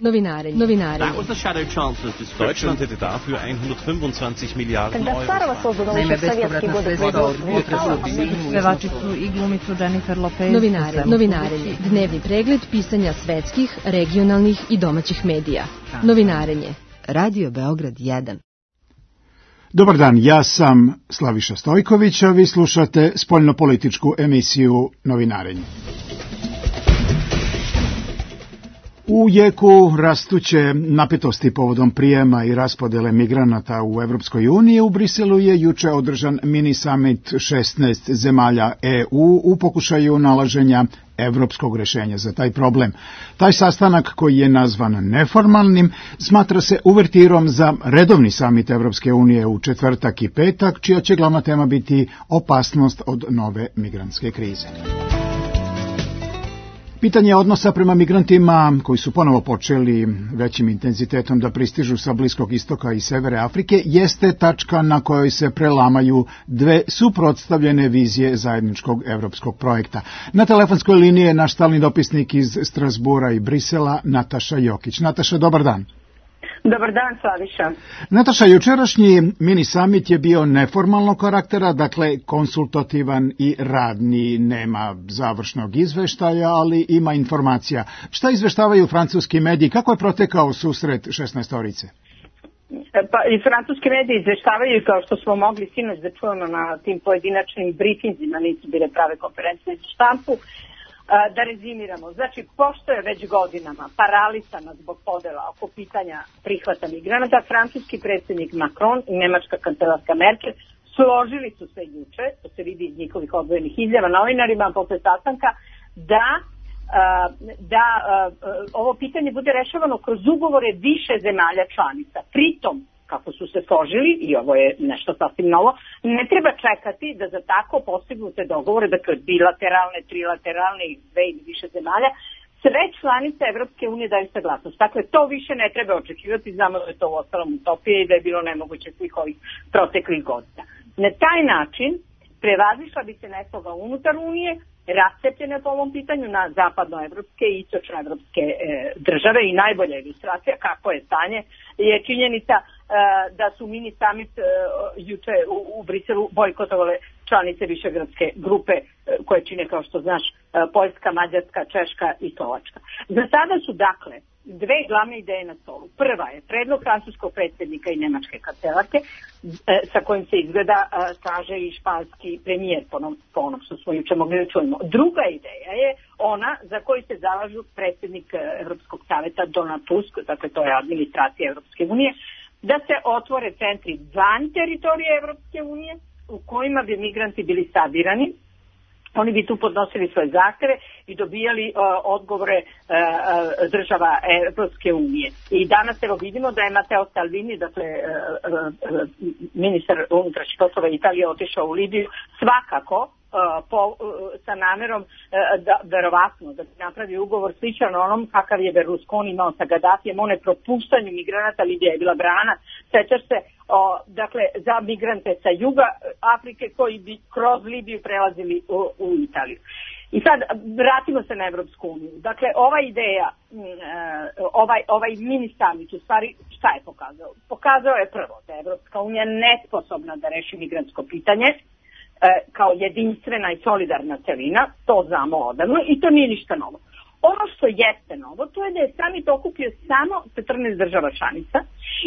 Novinarenje. That was the Shadow Chancellor's discussion. Deutschland hätte dafür 125 Milijarden Euro. Naime, bespovratna sredstva od pevačicu i glumicu Jennifer Lopez. Novinarenje. Dnevni pregled pisanja svetskih, regionalnih i domaćih medija. Novinarenje. Radio Beograd 1. Dobar dan, ja sam Slaviša Stojković, a vi slušate spoljnopolitičku emisiju Novinarenje. U jeku rastuće napetosti povodom prijema i raspodele migranata u Evropskoj uniji, u Briselu je juče održan mini summit 16 zemalja EU u pokušaju nalaženja evropskog rešenja za taj problem. Taj sastanak, koji je nazvan neformalnim, smatra se uvertirom za redovni samit Evropske unije u četvrtak i petak, čija će glavna tema biti opasnost od nove migrantske krize. Pitanje odnosa prema migrantima koji su ponovo počeli većim intenzitetom da pristižu sa Bliskog istoka i severe Afrike jeste tačka na kojoj se prelamaju dve suprotstavljene vizije zajedničkog evropskog projekta. Na telefonskoj liniji je naš stalni dopisnik iz Strasbura i Brisela, Nataša Jokić. Nataša, dobar dan. Dobar dan, Slaviša. Nataša, jučerašnji mini summit je bio neformalnog karaktera, dakle konsultativan i radni, nema završnog izveštaja, ali ima informacija. Šta izveštavaju francuski mediji? Kako je protekao susret 16-orice? Pa i francuski mediji izveštavaju, kao što smo mogli sinoć da čujemo na tim pojedinačnim brifinzima, nisu bile prave konferencije za štampu. Da rezimiramo, znači pošto je već godinama paralisana zbog podela oko pitanja prihvata migranata, francuski predsjednik Macron i nemačka kancelarka Merkel složili su se juče, to se vidi iz njihovih odvojenih izjava novinarima posle sastanka, da ovo pitanje bude rešavano kroz ugovore više zemalja članica. Pritom, kako su se složili, i ovo je nešto sasvim novo, ne treba čekati da za tako postignute dogovore, dakle bilateralne, trilateralne i dve ili više zemalja, sve članice Evropske unije daju saglasnost. Dakle, to više ne treba očekivati, znamo da je to u ostalom utopija i da je bilo nemoguće svih ovih proteklih godina. Na taj način prevazišla bi se nesloga unutar Unije, rascepljene po ovom pitanju na zapadnoevropske i istočnoevropske države, i najbolja ilustracija kako je stanje je činjenica da su mini summit juče u Briselu bojkotovale članice Višegradske grupe koje čine, kao što znaš, Poljska, Mađarska, Češka i Slovačka. Za sada su dakle dve glavne ideje na stolu. Prva je predlog francuskog predsjednika i nemačke kancelarke, sa kojim se izgleda slaže i španski premijer, po onom što smo juče mogli da čujemo. Druga ideja je ona za koju se zalažu predsjednik Evropskog savjeta Donald Tusk, dakle to je administracija Evropske unije, da se otvore centri van teritorije Evropske unije u kojima bi migranti bili sabirani. Oni bi tu podnosili svoje zahteve i dobijali odgovore država Evropske unije. I danas evo vidimo da je Matteo Salvini, dakle ministar unutrašnjih poslova Italije, otišao u Libiju svakako sa namerom da verovatno da napravi ugovor sličan onom kakav je Berlusconi imao sa Gaddafijem, o nepropuštanju migranata. Libija je bila brana, sećaš se, dakle za migrante sa juga Afrike koji bi kroz Libiju prelazili u Italiju. I sad vratimo se na Evropsku uniju. Dakle, ova ideja, ovaj mini summit u stvari šta je pokazao? Pokazao je prvo da je Evropska unija nesposobna da reši migrantsko pitanje kao jedinstvena i solidarna celina, to znamo odavno i to nije ništa novo. Ono što jeste novo, to je da je summit okupio samo 14 država članica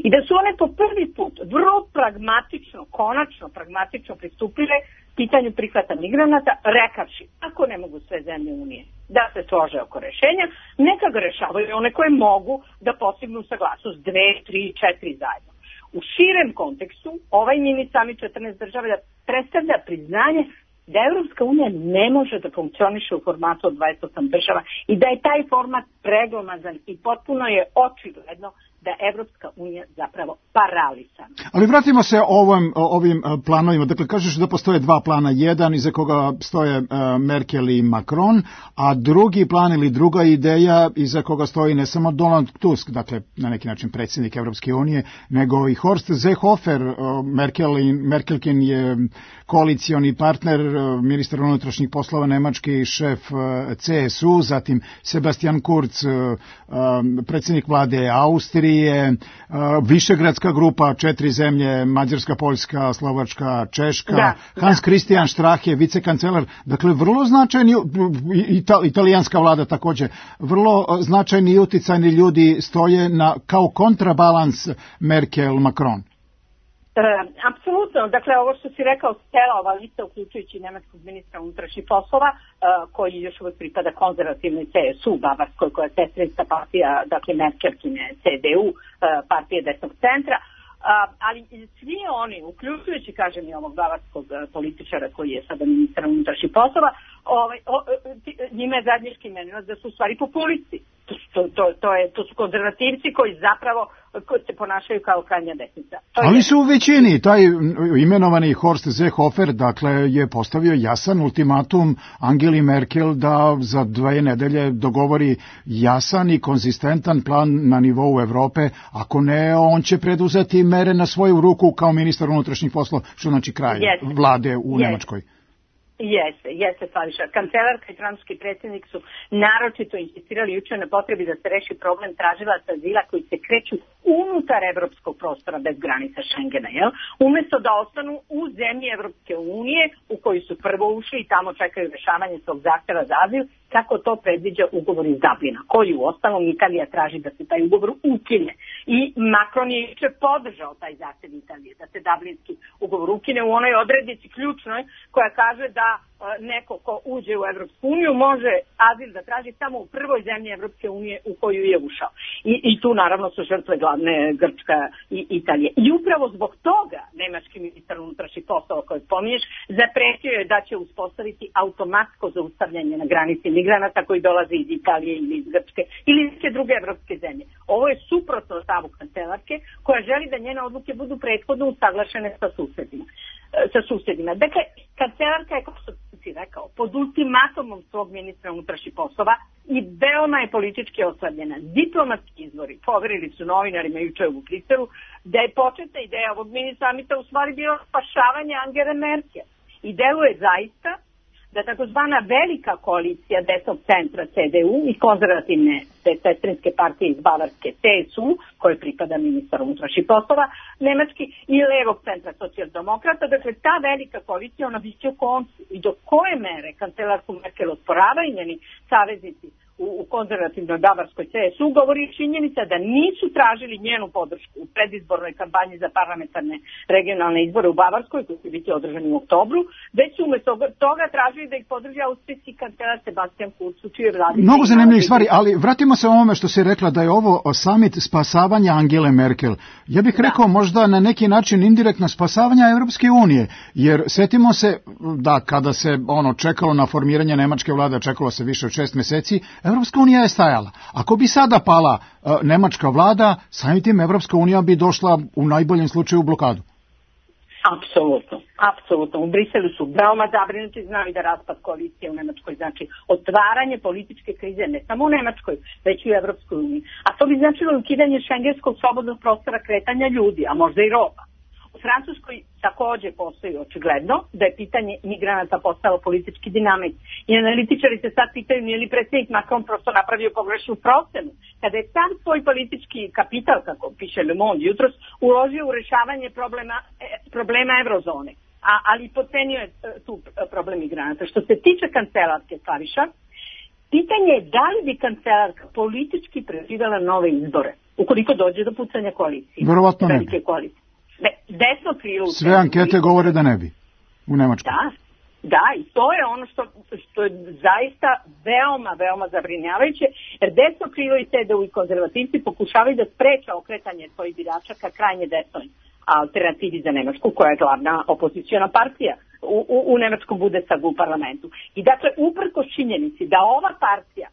i da su one po prvi put vrlo pragmatično, konačno pragmatično pristupile pitanju prihvata migranata, rekavši, ako ne mogu sve zemlje Unije da se slože oko rešenja, neka ga rešavaju one koje mogu da postignu saglasnost 2, 3, 4 zajedno. U širem kontekstu, ovaj mini summit 14 država predstavlja priznanje da Evropska unija ne može da funkcioniše u formatu od 28 država i da je taj format preglomazan i potpuno je očigledno da je Evropska unija zapravo paralisana. Ali vratimo se ovim planovima. Dakle, kažeš da postoje dva plana. Jedan iza koga stoje Merkel i Macron, a drugi plan ili druga ideja iza koga stoji ne samo Donald Tusk, dakle, na neki način predsjednik Evropske unije, nego i Horst Seehofer. Merkelkin je koalicioni partner, ministar unutrašnjih poslova nemački, šef CSU, zatim Sebastian Kurz, predsjednik vlade Austrije, Višegradska grupa, 4 zemlje, Mađarska, Poljska, Slovačka, Češka, Hans Christian Strache, vicekancelar, dakle vrlo značajni, italijanska vlada također, vrlo značajni i uticajni ljudi stoje kao kontrabalans Merkel-Macron. Apsolutno, dakle ovo što si rekao, cela ova lista uključujući nemačkog ministra unutrašnjih poslova koji još uvijek pripada konzervativnoj CSU Bavarskoj, koja je sestrinska partija, dakle Merkelkine CDU, partije desnog centra, ali svi oni, uključujući, kažem, i ovog bavarskog političara koji je sada ministar unutrašnjih poslova, njima je zajednički imenovac da su u stvari populisti. To su konzervativci koji zapravo se ponašaju kao krajnja desnica. Ali su u većini. Taj imenovani Horst Seehofer, dakle, je postavio jasan ultimatum Angeli Merkel da za 2 nedelje dogovori jasan i konzistentan plan na nivou Evrope. Ako ne, on će preduzeti mere na svoju ruku kao ministar unutrašnjih poslova, što znači kraj vlade u Nemačkoj. Jeste, Slaviša. Kancelarka i francuski predsjednik su naročito insistirali jučer na potrebi da se reši problem tražilaca azila koji se kreću unutar evropskog prostora bez granica Schengena, umjesto da ostanu u zemlji Evropske unije u koju su prvo ušli i tamo čekaju rešavanje svog zahtjeva za azil, kako to predviđa ugovor iz Dublina, koji u ostalom Italija traži da se taj ugovor ukine. I Macron je jučer podržao taj zahtjev Italije, da se Dublinski ugovor ukine u onoj odrednici ključnoj koja kaže da neko ko uđe u Evropsku uniju može azil da traži samo u prvoj zemlji Evropske unije u koju je ušao. I tu naravno su žrtve glavne Grčka i Italije. I upravo zbog toga nemački ministar unutrašnjih poslova koji spominješ zapretio je da će uspostaviti automatsko zaustavljanje na granici migranata koji dolaze iz Italije ili iz Grčke ili iz neke druge evropske zemlje. Ovo je suprotno stavu kancelarke koja želi da njene odluke budu prethodno usaglašene sa susjedima. Dakle, kancelarka je, kao što si rekao, pod ultimatumom svog ministra unutrašnjih poslova i veoma je politički oslabljena. Diplomatski izvori poverili su novinarima jučer u Briselu da je početna ideja ovog mini samita u stvari bilo spašavanje Angele Merkel. I deluje zaista da takozvana velika koalicija desnog centra CDU i konzervativne sestrinske partije iz Bavarske CSU, koje pripada ministar unutrašnjih poslova nemački, i levog centra socijaldemokrata, dakle ta velika koalicija, ona biće u koncu. I do koje mere kancelarku Merkel osporavaju njeni saveznici u konzervativnoj bavarskoj CSU, govori činjenica da nisu tražili njenu podršku u predizbornoj kampanji za parlamentarne regionalne izbore u Bavarskoj, koji će biti održani u oktobru, već su umjesto toga tražili da ih podrži austrijski kancelar Sebastian Kurz, u čijoj vladi. Mnogo zanimljivih stvari, ali vratimo se ovome što si rekla da je ovo summit spasavanja Angele Merkel. Ja bih rekao možda na neki način indirektno spasavanja Evropske unije, jer setimo se da kada se čekalo na formiranje nemačke vlade, čekalo se više od 6 mjeseci, Evropska unija je stajala. Ako bi sada pala nemačka vlada, samim tim Evropska unija bi došla u najboljem slučaju u blokadu. Apsolutno. U Briselu su veoma zabrinuti, znali da raspad koalicije u Nemačkoj znači otvaranje političke krize ne samo u Nemačkoj, već i u Evropskoj uniji. A to bi značilo ukidanje šengenskog slobodnog prostora kretanja ljudi, a možda i roba. U Francuskoj također postoji očigledno da je pitanje migranata postalo politički dinamik. I analitičari se sad pitaju nije li predsjednik Macron prosto napravio pogrešnu procenu kada je sam svoj politički kapital, kako piše Le Monde jutros, uložio u rešavanje problema eurozone. Ali potcenio je tu problem migranata. Što se tiče kancelarske, Slaviša, pitanje je da li bi kancelarka politički preživjela nove izbore ukoliko dođe do pucanja koalicije. Verovatno ne bi. Desno krilo. Sve ankete govore da ne bi u Nemačkoj. Da, i to je ono što je zaista veoma zabrinjavajuće, jer desno krilo i CDU i konzervativci pokušavaju da spreče okretanje svojih birača ka krajnje desnoj alternativi za Nemačku, koja je glavna opoziciona partija u nemačkom Bundestagu u parlamentu. I dakle, uprkos činjenici da ova partija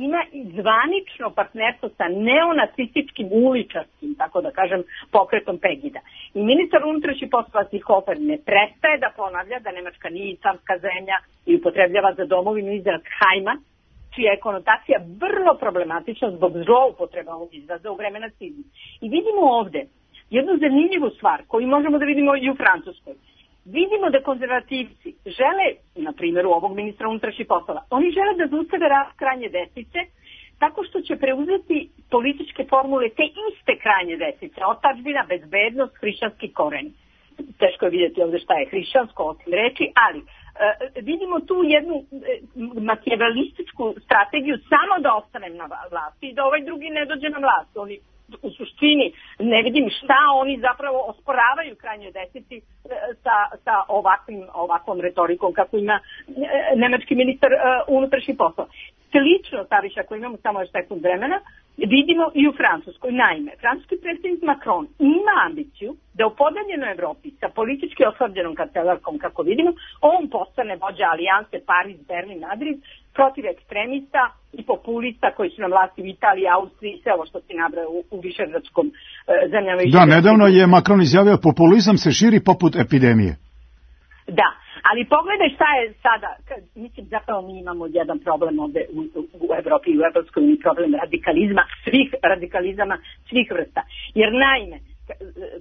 ima i zvanično partnerstvo sa neonacističkim uličarskim, tako da kažem, pokretom Pegida. I ministar unutrašnjih poslova Seehofer ne prestaje da ponavlja da Nemačka nije islamska zemlja i upotrebljava za domovinu izraz Heimat, čija je konotacija vrlo problematična zbog zloupotreba ovog izraza u vreme nacizma. I vidimo ovde jednu zanimljivu stvar koju možemo da vidimo i u Francuskoj. Vidimo da konzervativci žele, na primjeru ovog ministra unutrašnjih poslova, oni žele da zaustave rast krajnje desnice tako što će preuzeti političke formule te iste krajnje desnice, otadžbina, bezbednost, hrišćanski koren. Teško je vidjeti ovdje šta je hrišćansko osim reči, ali vidimo tu jednu makijavelističku strategiju samo da ostanem na vlasti i da ovaj drugi ne dođe na vlast. Oni u suštini ne vidim šta oni zapravo osporavaju krajnjoj desnici sa ovakvom retorikom kako ima nemački ministar unutrašnjih poslova. Slično, Savić, ako imamo samo još sekund vremena, vidimo i u Francuskoj. Naime, francuski predsjednik Macron ima ambiciju da u podeljenoj Evropi sa politički oslabljenom kancelarkom, kako vidimo, on postane vođa alijanse Paris, Berlin, Madrid protiv ekstremista i populista koji su na vlasti u Italiji, Austriji i sve ovo što se nabraja u višegradskom zemljama. Da, nedavno je Macron izjavio populizam se širi poput epidemije. Da, ali pogledaj šta je sada, mislim zapravo mi imamo jedan problem ovde u Evropi i u Evropskoj uniji, problem radikalizama svih vrsta. Jer naime,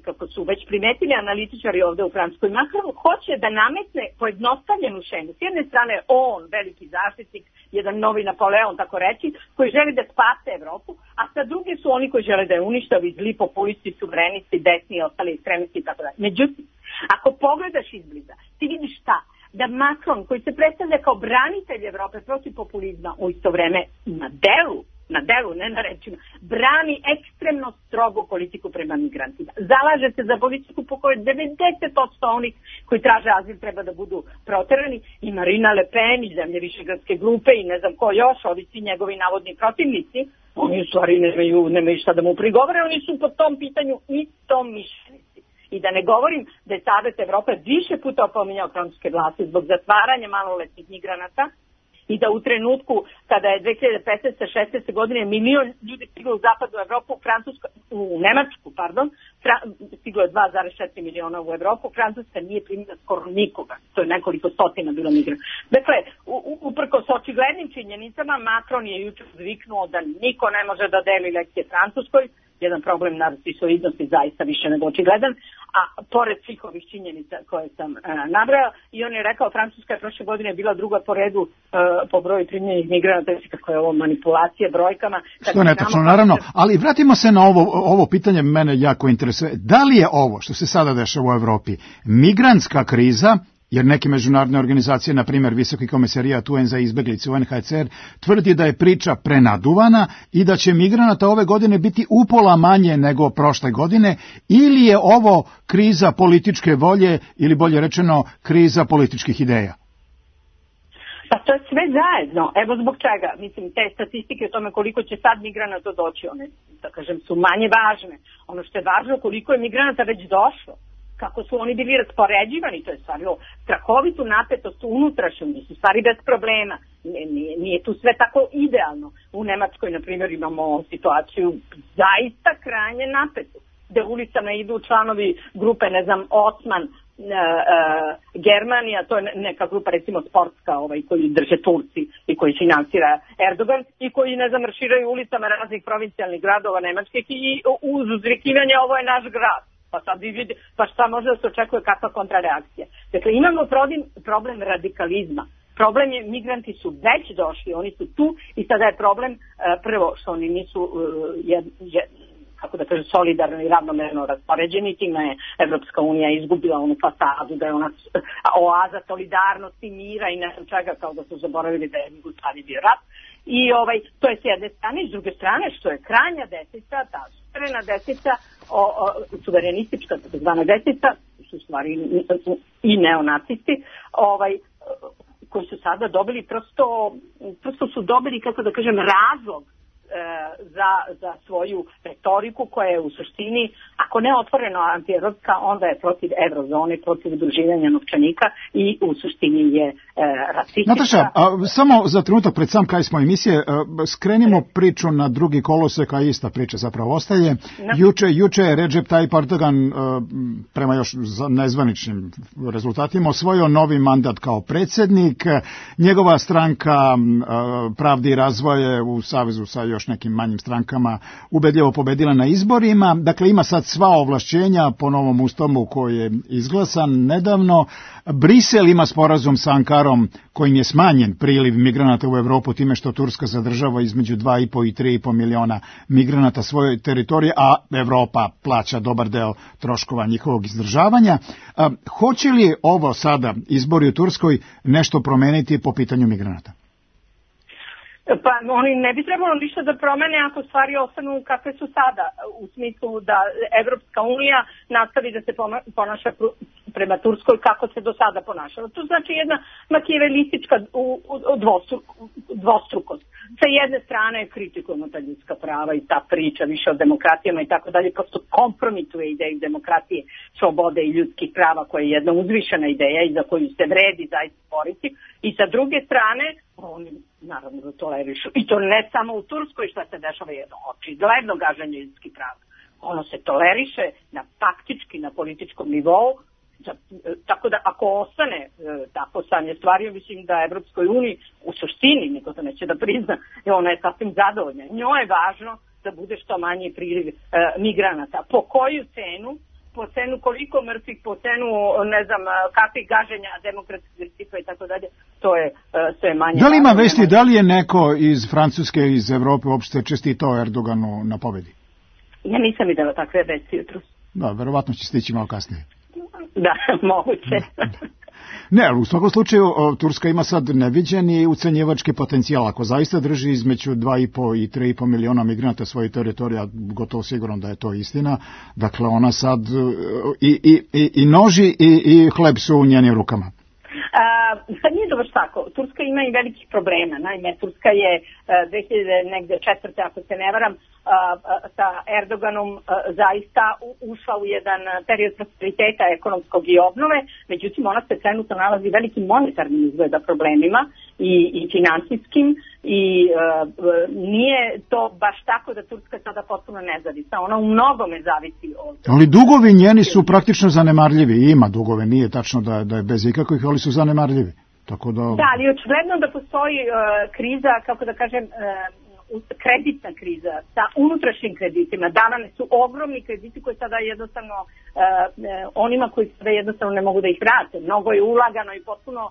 kako su već primetili analitičari ovde u Francuskoj, Macron hoće da nametne pojednostavljenu šemu. S jedne strane on, veliki zaštitnik, jedan novi Napoleon, tako reći, koji želi da spase Evropu, a sa druge su oni koji žele da je uništavi, zli populisti, suverenisti, desni i ostali ekstremisti i tako dalje. Međutim, ako pogledaš izbliza, ti vidiš šta? Da Macron, koji se predstavlja kao branitelj Evrope protiv populizma, u isto vreme na delu, ne na rečima, brani ekstremno strogu politiku prema migrantima. Zalaže se za politiku po kojoj 90% onih koji traže azil treba da budu proterani, i Marina Le Pen i zemlje Višegradske grupe i ne znam ko još, ovi svi njegovi navodni protivnici, oni u stvari nemaju šta da mu prigovore, oni su po tom pitanju istomišljenici. I da ne govorim da je Savet Evrope više puta opominjao francuske vlasti zbog zatvaranja maloletnih migranata i da u trenutku kada je 2015-16. godine milion ljudi stiglo u zapadnu Evropu, u Nemačku, stiglo je 2,4 miliona u Evropu, Francuska nije primila skoro nikoga, to je nekoliko stotina bilo migrana. Dakle, uprkos očiglednim činjenicama, Macron je jučer zviknuo da niko ne može da deli lekcije Francuskoj, jedan problem narcisoidnosti zaista više nego očigledan, a pored svih ovih činjenica koje sam nabrao, i on je rekao, Francuska je prošle godine bila druga po redu po broju primljenih migranata, kako je ovo manipulacija brojkama. Što je netačno, naravno, ali vratimo se na ovo pitanje, mene jako interesuje. Da li je ovo što se sada dešava u Evropi migrantska kriza, jer neke međunarodne organizacije, na primjer Visoki komisarijat UN za izbeglice UNHCR, tvrdi da je priča prenaduvana i da će migranata ove godine biti upola manje nego prošle godine, ili je ovo kriza političke volje ili bolje rečeno kriza političkih ideja? Pa to je sve zajedno. Evo zbog čega. Mislim, te statistike o tome koliko će sad migranata doći, one, da kažem, su manje važne. Ono što je važno, koliko je migranata već došlo, kako su oni bili raspoređivani, to je stvarilo strahovitu napetost unutrašnju, nisu stvari bez problema. Nije tu sve tako idealno. U Nemačkoj, na primjer, imamo situaciju zaista krajnje napetu, gde ulicama idu članovi grupe, ne znam, Osman, Germanija, to je neka grupa recimo sportska koji drže Turci i koji finansira Erdogan i koji, ne znam, marširaju ulicama raznih provincijalnih gradova nemačkih i uz uzvikivanje ovo je naš grad. Pa sad vi vidite, pa šta može da se očekuje, kakva kontrareakcija. Dakle, imamo problem radikalizma. Problem je, migranti su već došli, oni su tu i sada je problem prvo što oni nisu kako da kažem, solidarno i ravnomerno raspoređeni, time je Evropska unija izgubila onu fasadu da je ona oaza solidarnosti, mira i ne znam čega, kao da su zaboravili da je Jugoslavija bio rat. I to je s jedne strane, i s druge strane što je krajnja desnica, ta suverena desnica, suverenistička zvana desnica, su stvari i neonacisti, koji su sada dobili prosto su dobili, kako da kažem, razlog za svoju retoriku koja je u suštini, ako ne otvoreno antievropska, onda je protiv eurozone, protiv udruživanja novčanika i u suštini je rasistička. Nataša, samo za trenutak pred sam kraj smo emisije, skrenimo priču na drugi kolosek, a ista priča zapravo ostaje. Juče je Recep Tayyip Erdogan prema još nezvaničnim rezultatima osvojio novi mandat kao predsjednik. Njegova stranka Pravde i razvoje u savezu sa još nekim manjim strankama ubedljivo pobedila na izborima. Dakle, ima sad sva ovlašćenja po novom ustavu koji je izglasan nedavno. Brisel ima sporazum sa Ankarom kojim je smanjen priliv migranata u Evropu time što Turska zadržava između 2,5 i 3,5 miliona migranata svoje teritorije, a Evropa plaća dobar deo troškova njihovog izdržavanja. Hoće li ovo sada izbori u Turskoj nešto promeniti po pitanju migranata? Pa oni ne bi trebalo ništa da promene ako stvari ostanu kakve su sada, u smislu da Evropska unija nastavi da se ponaša prema Turskoj kako se do sada ponašala. To znači jedna makijavelistička dvostrukost. Sa jedne strane kritikujemo ta ljudska prava i ta priča više o demokratijama i tako dalje, prosto kompromituje ideju demokratije, slobode i ljudskih prava koja je jedna uzvišena ideja i za koju se vredi zaista boriti. I sa druge strane, oni naravno da tolerišu. I to ne samo u Turskoj šta se dešava, jedno očigledno gaženje ljudskih prava. Ono se toleriše na faktički, na političkom nivou. Tako da ako ostane tako stanje stvari, mislim da Evropskoj uniji u suštini, niko to neće da prizna, ona je sasvim zadovoljna. Njoj je važno da bude što manji priliv migranata. Po koju cenu? Po cenu koliko mrtvih, po cenu ne znam kakvih gaženja demokratskih principa i tako dalje, to je sve manje. Da li ima vesti, da li je neko iz Francuske, iz Evrope uopšte čestitao Erdoganu na pobedi? Ja nisam videla takve vesti jutros. Da, verovatno će stići malo kasnije. Da, moguće. Ne, ali u svakom slučaju Turska ima sad neviđeni ucenjivački potencijal. Ako zaista drži između 2,5 i 3,5 miliona migranata svoje teritorije, gotovo sigurno da je to istina, dakle ona sad i noži i hleb su u njenim rukama. Nije dobro tako. Turska ima i velikih problema. Naime, Turska je 2004. ako se ne varam, sa Erdoganom zaista ušla u jedan period prosperiteta ekonomskog i obnove, međutim ona se trenutno nalazi velikim monetarnim izgleda problemima i finansijskim i nije to baš tako da Turska sada potpuno nezavisna. Ona u mnogome zavisi od... Ali dugovi njeni su praktično zanemarljivi. Ima dugove, nije tačno da je bez ikakvih, ali su zanemarljivi. Tako da... Da, ali očigledno da postoji kriza, kako da kažem, kreditna kriza sa unutrašnjim kreditima. Davane su ogromni krediti koji sada jednostavno onima koji sada jednostavno ne mogu da ih vrate. Mnogo je ulagano i potpuno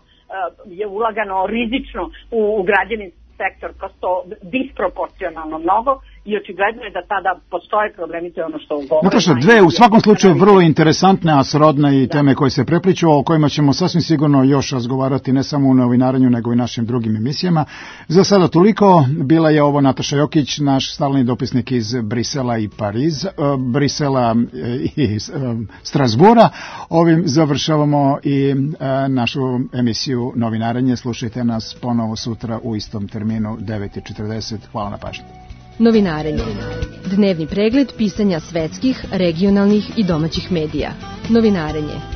je ulagano rizično u građevinski sektor, prosto disproporcionalno mnogo i očigledno je da tada postoje problemi, to je ono što govorimo. Nataša, dve u svakom slučaju vrlo interesantne, a srodne i teme koje se prepliču, o kojima ćemo sasvim sigurno još razgovarati ne samo u novinarenju, nego i našim drugim emisijama. Za sada toliko, bila je ovo Nataša Jokić, naš stalni dopisnik iz Brisela i Brisela i Strasbura. Ovim završavamo i našu emisiju Novinarenje. Slušajte nas ponovo sutra u istom terminu 9:40. Hvala na pažnji. Novinarenje. Dnevni pregled pisanja svetskih, regionalnih i domaćih medija. Novinarenje.